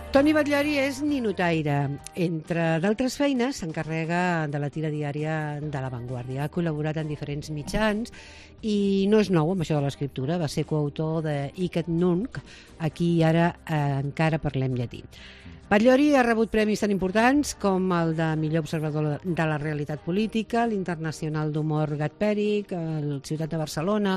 Toni Batllori és ninotaire. Entre d'altres feines, s'encarrega de la tira diària de La Vanguardia. Ha col·laborat en diferents mitjans i no és nou amb això de l'escriptura. Va ser coautor de Hic et Nunc, aquí i ara encara parlem llatí. Batllori ha rebut premis tan importants com el de millor observador de la realitat política, l'Internacional d'Humor Gat-Pèric, el Ciutat de Barcelona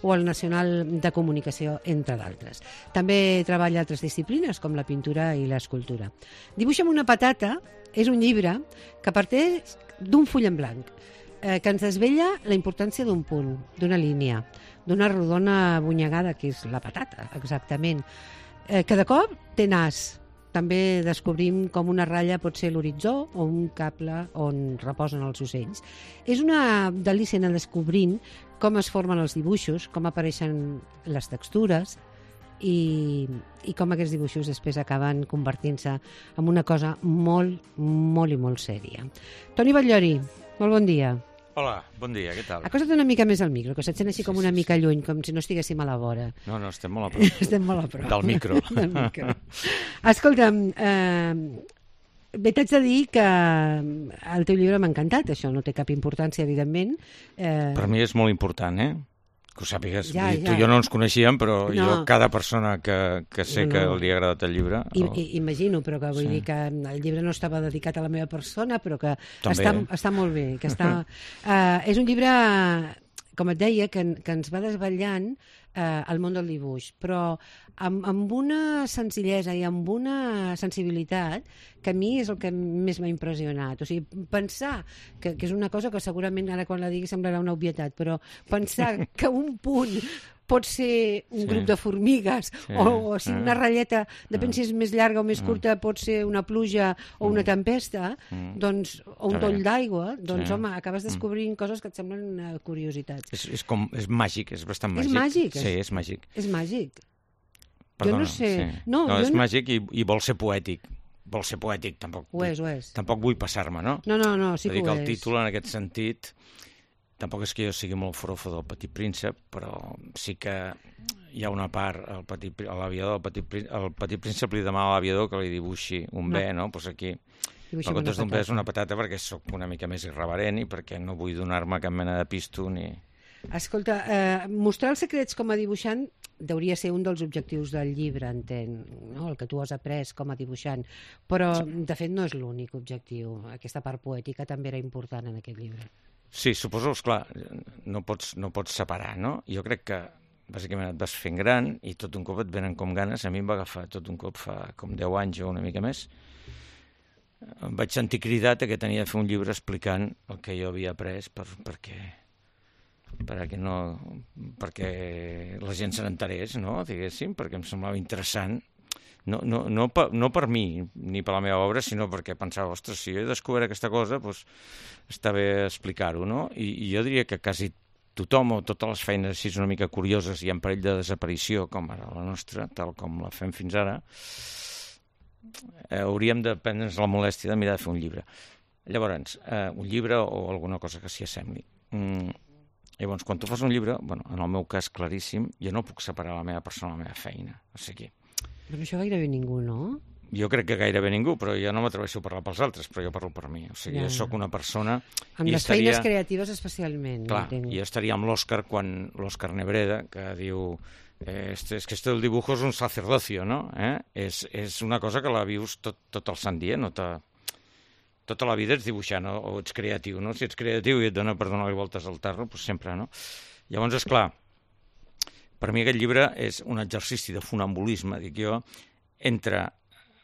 o el Nacional de Comunicació, entre d'altres. També treballa altres disciplines com la pintura i l'escultura. Dibuixa'm una patata és un llibre que parteix d'un full en blanc, que ens desvella la importància d'un punt, d'una línia, d'una rodona abonyegada, que és la patata, exactament. Cada cop té nas. També descobrim com una ratlla pot ser l'horitzó o un cable on reposen els ocells. És una delícia anar descobrint com es formen els dibuixos, com apareixen les textures i com aquests dibuixos després acaben convertint-se en una cosa molt, molt i molt sèria. Toni Batllori, molt bon dia. Hola, bon dia, què tal? Acosta't una mica més al micro, que se't sent així com una mica lluny, com si no estiguéssim a la vora. No, estem molt a prop. Estem molt a prop. Del micro. Del micro. Escolta'm, bé, t'haig de dir que el teu llibre m'ha encantat, això no té cap importància, evidentment. Per mi és molt important, que ho sàpigues. Ja. Tu i jo no ens coneixíem, però jo, cada persona que sé que li ha agradat el llibre... Imagino, però que vull dir que el llibre no estava dedicat a la meva persona, però que també, està molt bé. Que està, és un llibre, com et deia, que ens va desvetllant el món del dibuix, però amb una senzillesa i amb una sensibilitat que a mi és el que més m'ha impressionat. O sigui, pensar que és una cosa que segurament ara quan la digui semblarà una obvietat, però pensar que un punt pot ser un grup de formigues o si una ratlleta, depèn si és més llarga o més curta, pot ser una pluja o una tempesta, doncs, o un toll d'aigua, doncs, home, acabes descobrint coses que et semblen curiositats. És màgic, és bastant màgic. És màgic? Sí, és màgic. És màgic. Perdona, jo no sé. Sí. No, és màgic i vol ser poètic. Vol ser poètic, tampoc. Ho és. Tampoc vull passar-me, no? No, sí que ho és. El títol, en aquest sentit, tampoc és que jo sigui molt forofo del Petit Príncep, però sí que hi ha una part, el Petit Príncep li demana a l'aviador que li dibuixi un bé, no? Doncs aquí, en comptes d'un bé és una patata perquè sóc una mica més irreverent i perquè no vull donar-me cap mena de pisto ni... Escolta, mostrar els secrets com a dibuixant hauria ser un dels objectius del llibre, entenc, no? El que tu has après com a dibuixant, però de fet no és l'únic objectiu. Aquesta part poètica també era important en aquest llibre. Sí, suposo, esclar, no pots separar, no? Jo crec que bàsicament et vas fent gran i tot un cop et venen com ganes. A mi em va agafar tot un cop fa com 10 anys o una mica més. Em vaig sentir cridat que tenia de fer un llibre explicant el que jo havia après perquè la gent se n'enterés, no? Diguéssim, perquè em semblava interessant. No per mi ni per la meva obra, sinó perquè pensava, ostres, si jo he descobert aquesta cosa, doncs està bé explicar-ho, no? I jo diria que quasi tothom o totes les feines així una mica curioses i en perill de desaparició, com ara la nostra, tal com la fem fins ara, hauríem de prendre'ns la molèstia de mirar de fer un llibre. Llavors, un llibre o alguna cosa que s'hi assembli. Llavors, quan tu fas un llibre, en el meu cas claríssim, jo no puc separar la meva persona de la meva feina. O sigui... Però això gairebé ningú, no? Jo crec que gairebé ningú, però jo no m'atreveixo a parlar pels altres, però jo parlo per mi. O sigui, jo sóc una persona... Amb les feines creatives especialment. Clar, jo estaria amb l'Òscar quan l'Òscar Nebreda, que diu... Es que esto del dibujo es un sacerdocio, no? És una cosa que la vius tot el sant dia, no tota la vida ets dibuixant o ets creatiu, no? Si ets creatiu i et dona per donar-li voltes al tarro, doncs sempre, no? Llavors, esclar, per mi aquest llibre és un exercici de funambulisme, dic jo, entre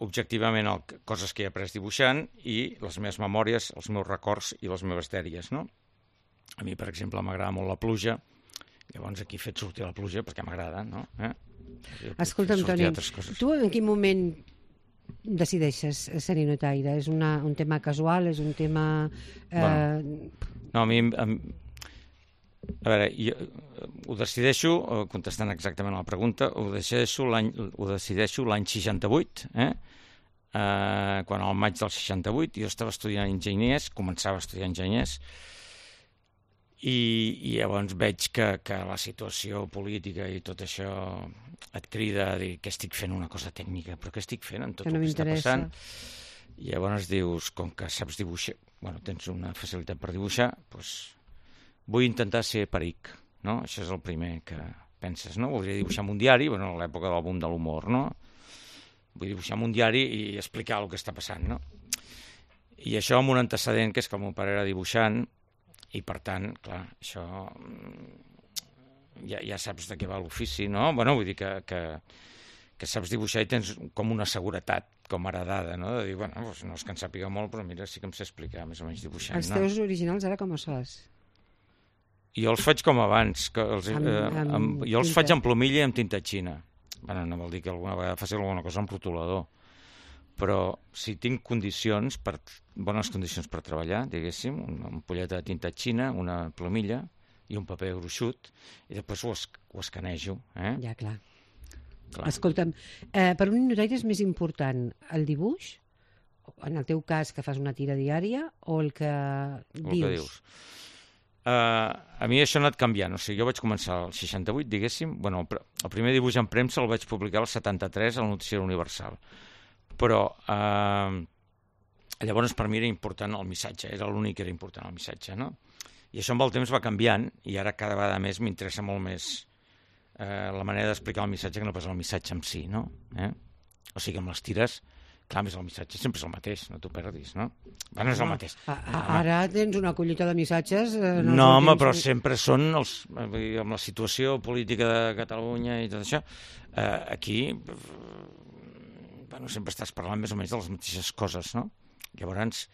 objectivament coses que he après dibuixant i les meves memòries, els meus records i les meves dèries, no? A mi, per exemple, m'agrada molt la pluja, llavors aquí he fet sortir la pluja perquè m'agrada, no? Escolta'm, Toni, tu en quin moment decideixes ser ninotaire? És un tema casual? És un tema... No, a mi... A veure, jo ho decideixo, contestant exactament a la pregunta, ho decideixo l'any 68, quan al maig del 68 jo estava estudiant enginyers, començava a estudiar enginyers, i llavors veig que la situació política i tot això et crida a dir que estic fent una cosa tècnica, però què estic fent en tot Que no el que està m'interessa. passant? I llavors dius, com que saps dibuixar, bueno, tens una facilitat per dibuixar, doncs vull intentar ser peric, no? Això és el primer que penses, no? Voldria dibuixar en un diari, bueno, a l'època del boom de l'humor, no? Vull dibuixar en un diari i explicar el que està passant, no? I això amb un antecedent, que és que el meu pare era dibuixant, i per tant, clar, això ja saps de què va l'ofici, no? Bueno, vull dir que saps dibuixar i tens com una seguretat com heredada, no? De dir, bueno, doncs no és que en sàpiga molt, però mira, sí que em sé explicar més o menys dibuixant. Els teus originals ara com els fas? Jo els faig com abans, que jo els faig amb plomilla i amb tinta xina. Bueno, no vol dir que alguna vegada faci alguna cosa amb rotulador, però si tinc bones condicions per treballar, diguéssim, una ampolleta de tinta xina, una plomilla i un paper gruixut, i després ho escanejo. Ja, clar. Escolta'm, per un ninotaire és més important el dibuix, en el teu cas que fas una tira diària, o el que dius? A mi això ha anat canviant, o sigui, jo vaig començar al 68, diguéssim, bueno, el primer dibuix en premsa el vaig publicar al 73 al Noticiari Universal, però llavors per mi era important el missatge, era l'únic que era important el missatge, no? I això amb el temps va canviant, i ara cada vegada més m'interessa molt més la manera d'explicar el missatge que no pas el missatge en si, no? O sigui, amb les tires, clar, més el missatge sempre és el mateix, no t'ho perdis, no? Bueno, és el mateix. Ara tens una collita de missatges... No, home, però sempre són amb la situació política de Catalunya i tot això, aquí bueno, sempre estàs parlant més o menys de les mateixes coses, no? Llavors,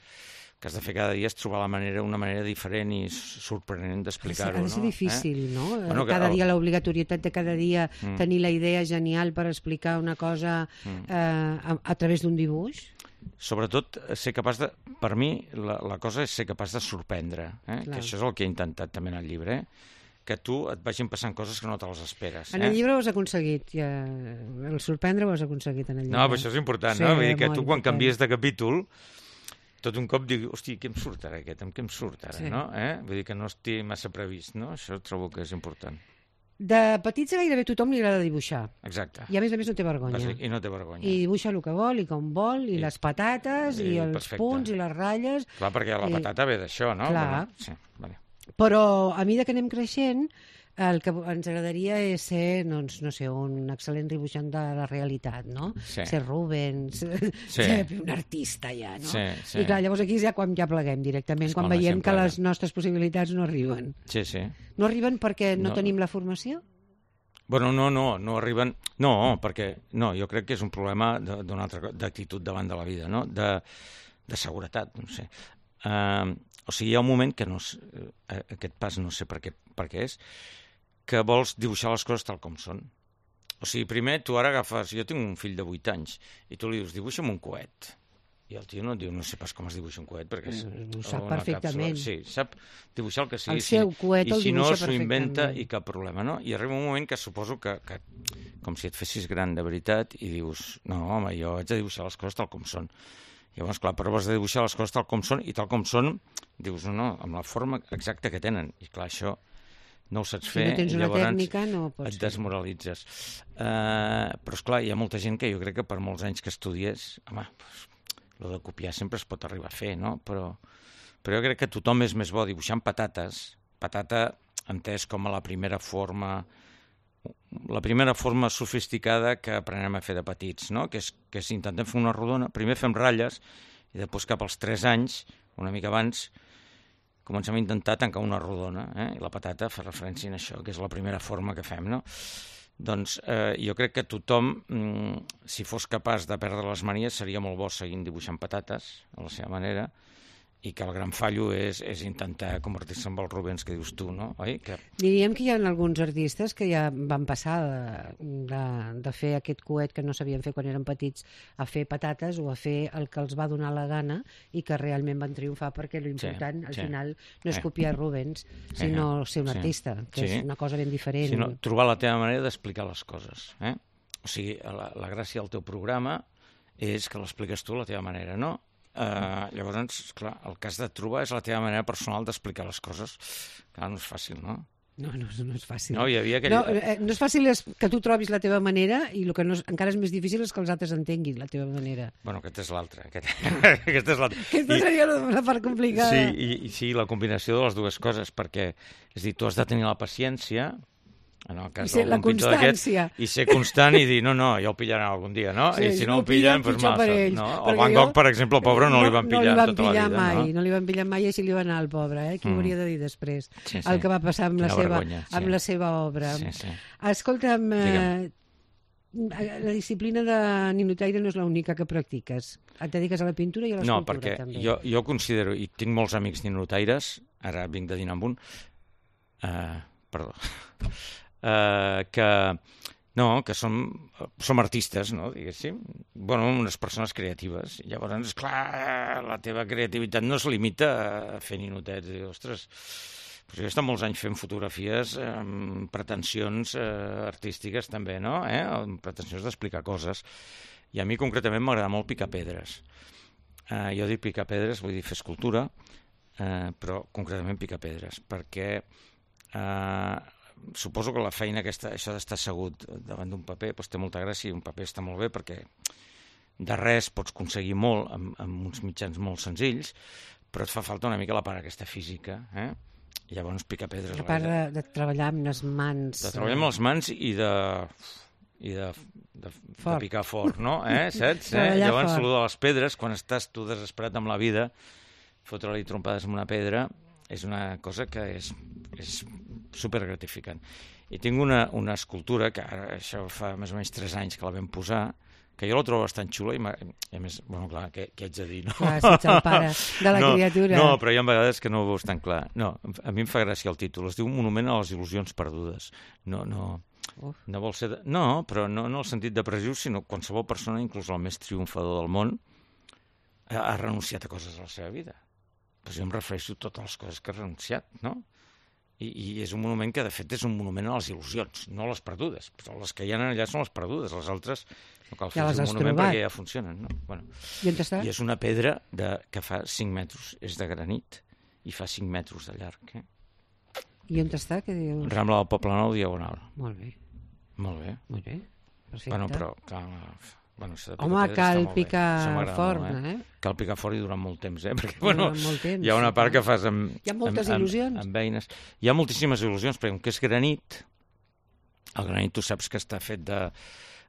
el que has de fer cada dia és trobar una manera diferent i sorprenent d'explicar-ho. Ha de ser difícil, no? Bueno, cada dia l'obligatorietat de cada dia tenir la idea genial per explicar una cosa a través d'un dibuix. Sobretot, ser capaç de... Per mi, la cosa és ser capaç de sorprendre, que això és el que he intentat també en el llibre, que tu et vagin passant coses que no te les esperes. En el llibre ho has aconseguit, el sorprendre ho has aconseguit en el llibre. No, però això és important, no? Vull dir que tu quan canvies de capítol tot un cop dic, hosti, què em surt ara aquest? Amb què em surt ara, no? Vull dir que no estigui massa previst, no? Això trobo que és important. De petits a gairebé tothom li agrada dibuixar. Exacte. I a més no té vergonya. I no té vergonya. I dibuixa el que vol, i com vol, i les patates, i els punts, i les ratlles... Clar, perquè la patata ve d'això, no? Clar. Bueno, sí, vale. Però a mesura que anem creixent, el que ens agradaria és ser, doncs, no sé, un excel·lent dibuixant de la realitat, no? Sí. Ser Rubens, ser un artista ja, no? Sí, sí. I clar, llavors aquí és ja quan ja pleguem directament, quan veiem que les nostres possibilitats no arriben. Sí, sí. No arriben perquè no tenim la formació? Bueno, no arriben... No, perquè... No, jo crec que és un problema d'una altra d'actitud davant de la vida, no? De seguretat, no sé. O sigui, hi ha un moment que aquest pas no sé per què és, que vols dibuixar les coses tal com són. O sigui, primer tu ara agafes... Jo tinc un fill de 8 anys i tu li dius, dibuixa'm un coet. I el tio no et diu, no sé pas com es dibuixa un coet, perquè ho sap perfectament. Sí, sap dibuixar el que sigui. El seu coet el dibuixa perfectament. I si no, s'ho inventa i cap problema, no? I arriba un moment que suposo que com si et fessis gran de veritat i dius, no, home, jo haig de dibuixar les coses tal com són. Llavors, clar, però has de dibuixar les coses tal com són, i tal com són, dius, no, amb la forma exacta que tenen. I clar, això no ho saps fer, si no tens una tècnica, no pots et desmoralitzes. Però, esclar, hi ha molta gent que jo crec que per molts anys que estudies, home, el de copiar sempre es pot arribar a fer, no? Però jo crec que tothom és més bo dibuixant patates, patata entès com a la primera forma sofisticada que aprenem a fer de petits, no? Que és intentem fer una rodona, primer fem ratlles i després cap als 3 anys, una mica abans, comencem a intentar tancar una rodona, i la patata fa referència a això, que és la primera forma que fem, no? Doncs jo crec que tothom, si fos capaç de perdre les manies, seria molt bo seguint dibuixant patates a la seva manera, i que el gran fallo és intentar convertir-se en el Rubens que dius tu, no? Oi? Diríem que hi ha alguns artistes que ja van passar de fer aquest coet que no sabien fer quan eren petits a fer patates o a fer el que els va donar la gana i que realment van triomfar, perquè l'important al final no és copiar Rubens, sinó ser un artista, que és una cosa ben diferent. Sinó trobar la teva manera d'explicar les coses. O sigui, la gràcia del teu programa és que l'expliques tu a la teva manera, no? Llavors, clar, el que has de trobar és la teva manera personal d'explicar les coses. Clar, no és fàcil, no? No és fàcil. No, hi havia aquell... No és fàcil que tu trobis la teva manera i el que encara és més difícil és que els altres entenguin la teva manera. Bueno, aquesta és l'altra. Aquesta seria la part complicada. Sí, sí, la combinació de les dues coses, perquè, és a dir, tu has de tenir la paciència, en el cas la constància. I ser constant i dir, no, ja ho pillaran algun dia, no? Sí, I si no ho pillen, doncs massa. No? El Van Gogh, per exemple, el pobre, no li van pillar tota la vida. No li van pillar mai i així li va anar al pobre, Qui ho hauria de dir després? Sí. El que va passar amb la seva obra. Sí. Escolta'm, la disciplina de ninotaire no és l'única que practiques. Et dediques a la pintura i a l'escultura, també. No, perquè jo considero, i tinc molts amics ninotaires, ara vinc de dinar amb un, que som artistes, no, diguéssim, unes persones creatives. Llavors, clar, la teva creativitat no es limita a fer ninotets. Ostres, jo he estat molts anys fent fotografies amb pretensions artístiques també, no? Amb pretensions d'explicar coses. I a mi concretament m'agrada molt picar pedres. Jo dic picar pedres, vull dir fer escultura, però concretament picar pedres, perquè suposo que la feina aquesta, això d'estar assegut davant d'un paper, doncs té molta gràcia, i un paper està molt bé perquè de res pots aconseguir molt amb uns mitjans molt senzills, però et fa falta una mica la part aquesta física, Llavors picar pedres... A part de treballar amb les mans... De treballar amb les mans i de picar fort, no? Saps? Llavors, el de les pedres, quan estàs tu desesperat amb la vida, fotre-li trompades amb una pedra és una cosa que és supergratificant. I tinc una escultura, que ara això fa més o menys 3 anys que la vam posar, que jo la trobo bastant xula i a més, clar, què haig de dir, no? Clar, si ets el pare de la criatura. No, però hi ha vegades que no ho veus tan clar. No, a mi em fa gràcia el títol. Es diu Monument a les il·lusions perdudes. No vol ser... No, però no en el sentit depressiu, sinó qualsevol persona, inclús el més triomfador del món, ha renunciat a coses a la seva vida. Doncs jo em refereixo a totes les coses que ha renunciat, no? I és un monument que, de fet, és un monument a les il·lusions, no a les perdudes. Però les que hi ha allà són les perdudes, les altres no cal fer un monument perquè ja funcionen. No? I on està? I és una pedra que fa 5 metres, és de granit, i fa 5 metres de llarg. I on està? Què dius? Rambla del Poblenou, Diagonal. Molt bé. Molt bé. Perfecte. Però, clar... Home, cal picar fort, Cal picar fort i durant molt temps, perquè, hi ha una part que fas amb... Hi ha moltes il·lusions. Amb eines. Hi ha moltíssimes il·lusions, perquè com que és granit, el granit tu saps que està fet de...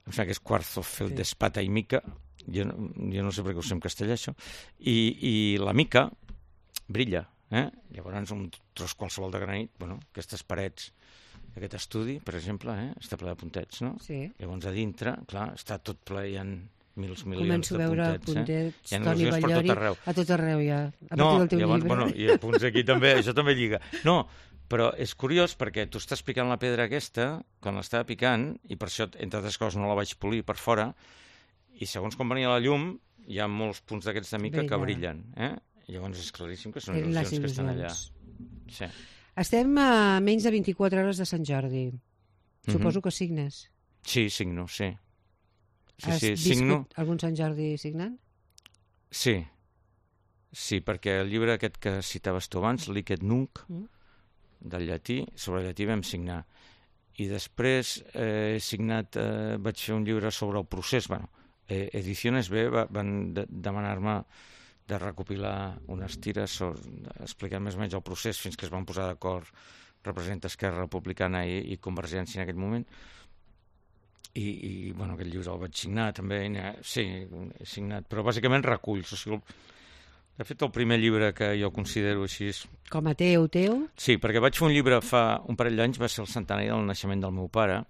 Em sembla que és quarzo, feldespata i mica, jo no sé per què ho sé en castellà, això, i la mica brilla, Llavors, un tros qualsevol de granit, aquestes parets, aquest estudi, per exemple, està ple de puntets, no? Sí. Llavors, a dintre, clar, està tot ple, hi ha milions de puntets. Començo a veure puntets, hi ha Toni Ballori, a tot arreu, ja, a partir del teu llibre. I punts aquí també, això també lliga. No, però és curiós perquè tu estàs picant la pedra aquesta, quan l'estava picant, i per això, entre altres coses, no la vaig polir per fora, i segons com venia la llum, hi ha molts punts d'aquests de mica que brillen. Llavors és claríssim que són il·lusions que estan allà. Sí. Estem a menys de 24 hores de Sant Jordi. Suposo que signes. Sí, signo, sí. Has viscut algun Sant Jordi signant? Sí, perquè el llibre aquest que citaves tu abans, Licet Nunc, del llatí, sobre el llatí vam signar. I després he signat, vaig fer un llibre sobre el procés. Ediciones B van demanar-me de recopilar unes tires explicant més o menys el procés fins que es van posar d'acord representa Esquerra Republicana i Convergència en aquell moment. I aquest llibre el vaig signar també. Sí, he signat, però bàsicament reculls. O sigui, de fet, el primer llibre que jo considero així... Com a teu? Sí, perquè vaig fer un llibre fa un parell d'anys, va ser el centenari del naixement del meu pare,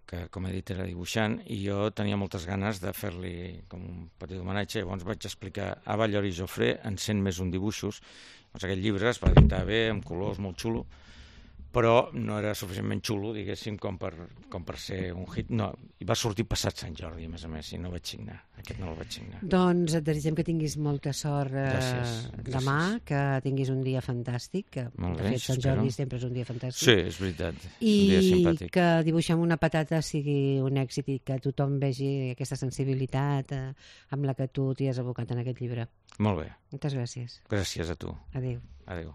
que com he dit era dibuixant, i jo tenia moltes ganes de fer-li com un petit homenatge. Llavors vaig explicar a Ballori i Jofré en 100 més un dibuixos. Llavors aquest llibre es va editar bé, amb colors, molt xulo, però no era suficientment xulo, diguéssim, com per ser un hit. No, i va sortir passat Sant Jordi, a més, i no vaig signar. Aquest no el vaig signar. Doncs et desitgem que tinguis molta sort demà, que tinguis un dia fantàstic, que de fet Sant Jordi sempre és un dia fantàstic. Sí, és veritat, un dia simpàtic. I que Dibuixar amb una patata sigui un èxit i que tothom vegi aquesta sensibilitat amb la que tu t'hi has abocat en aquest llibre. Molt bé. Moltes gràcies. Gràcies a tu. Adéu. Adéu.